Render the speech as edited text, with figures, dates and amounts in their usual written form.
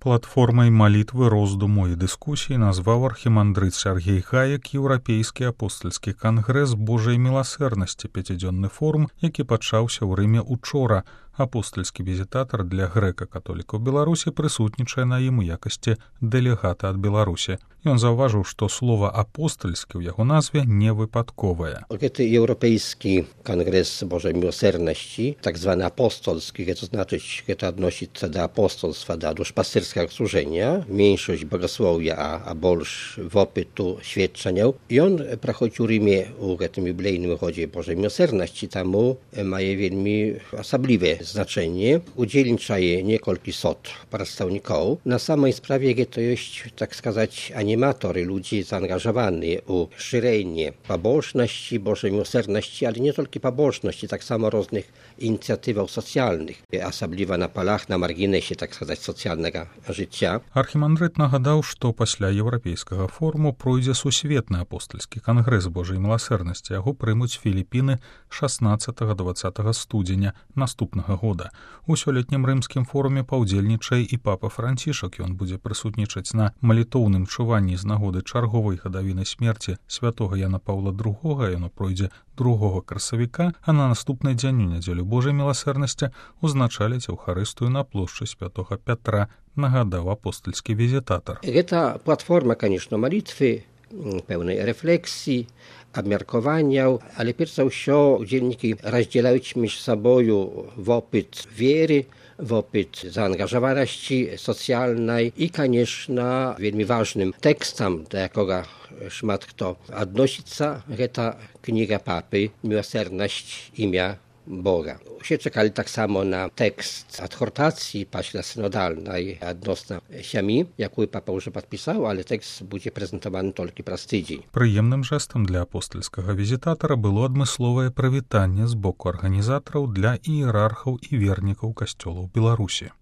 Платформай малітвы, роздуму і дыскусій назваў архімандрыт Сяргей Гаек Еўрапейскі апостальскі кангрэс Божай міласэрнасці, пяцідзённы форум, які пачаўся ў Рыме учора. Апостальскі візітатар для грэка-католікаў Беларусі прысутнічае на ім у якасці дэлегата ад Беларусі. Ён заўважыў, што слова апостальскі ў яго назве не выпадковае. Гэты еўрапейскі кангрэс Божай міласэрнасці, так званы апостольскі, гэта значыць, гэта адносіцца да апостольства, да душпастырскага служэння, меншасць багаслоўя, а больш вопыту сведчанняў. Ён праходзіць у Рыме ў гэтым юбілейным годзе Божай міласэрнасці, таму мае вельмі асаблівае значэнне. Удзельнічае некалькі сот прадстаўнікоў. На самай справе гэта ёсць, так сказаць, аніматоры, людзі заангажаваныя ў шырэнне пабожнасці, Божай міласэрнасці, але не толькі пабожнасці, таксама розных ініцыятываў сацыяльных, асабліва на палах, на маргінесе, так сказаць, сацыяльнага жыцця. Архімандрыт нагадаў, што пасля еўрапейскага форуму пройдзе сусветны апостальскі кангрэс Божай міласэрнасці. Яго прымуць Філіпіны 16-20 студзеня наступнага года. У сёлетнім рымскім форуме паўдзельнічае і папа Францішак. Ён будзе прысутнічаць на малітоўным чуванні з нагоды чарговай гадавіны смерці святога Яна Паўла II. Яно пройдзе 2 красавіка, а на наступны дзень у нядзелю Божай міласэрнасці узначаліць Еўхарыстыю на плошчы святога Пятра, нагадаў апостальскі візітатар. Гэта платформа, канешне, малітвы, пэўнай рэфлексіі, абмеркаванняў, але перш за ўсё удзельнікі раздзяляюць між сабою вопыт веры, вопыт заангажаванасці сацыяльнай і, канешне, вельмі важным тэкстам, да якога шмат хто адносіцца, гэта кніга папы «Міласэрнасць імя Бога». Усе чакалі таксама на тэкст адхортацыі пасля сінодальнай адносна сям'і, якую папа ўжо падпісаў, але тэкст будзе прэзентаваны толькі праз тыдзень. Прыемным жэстам для апостальскага візітатара было адмысловае прывітанне з боку арганізатараў для іерархаў і вернікаў касцёлаў Беларусі.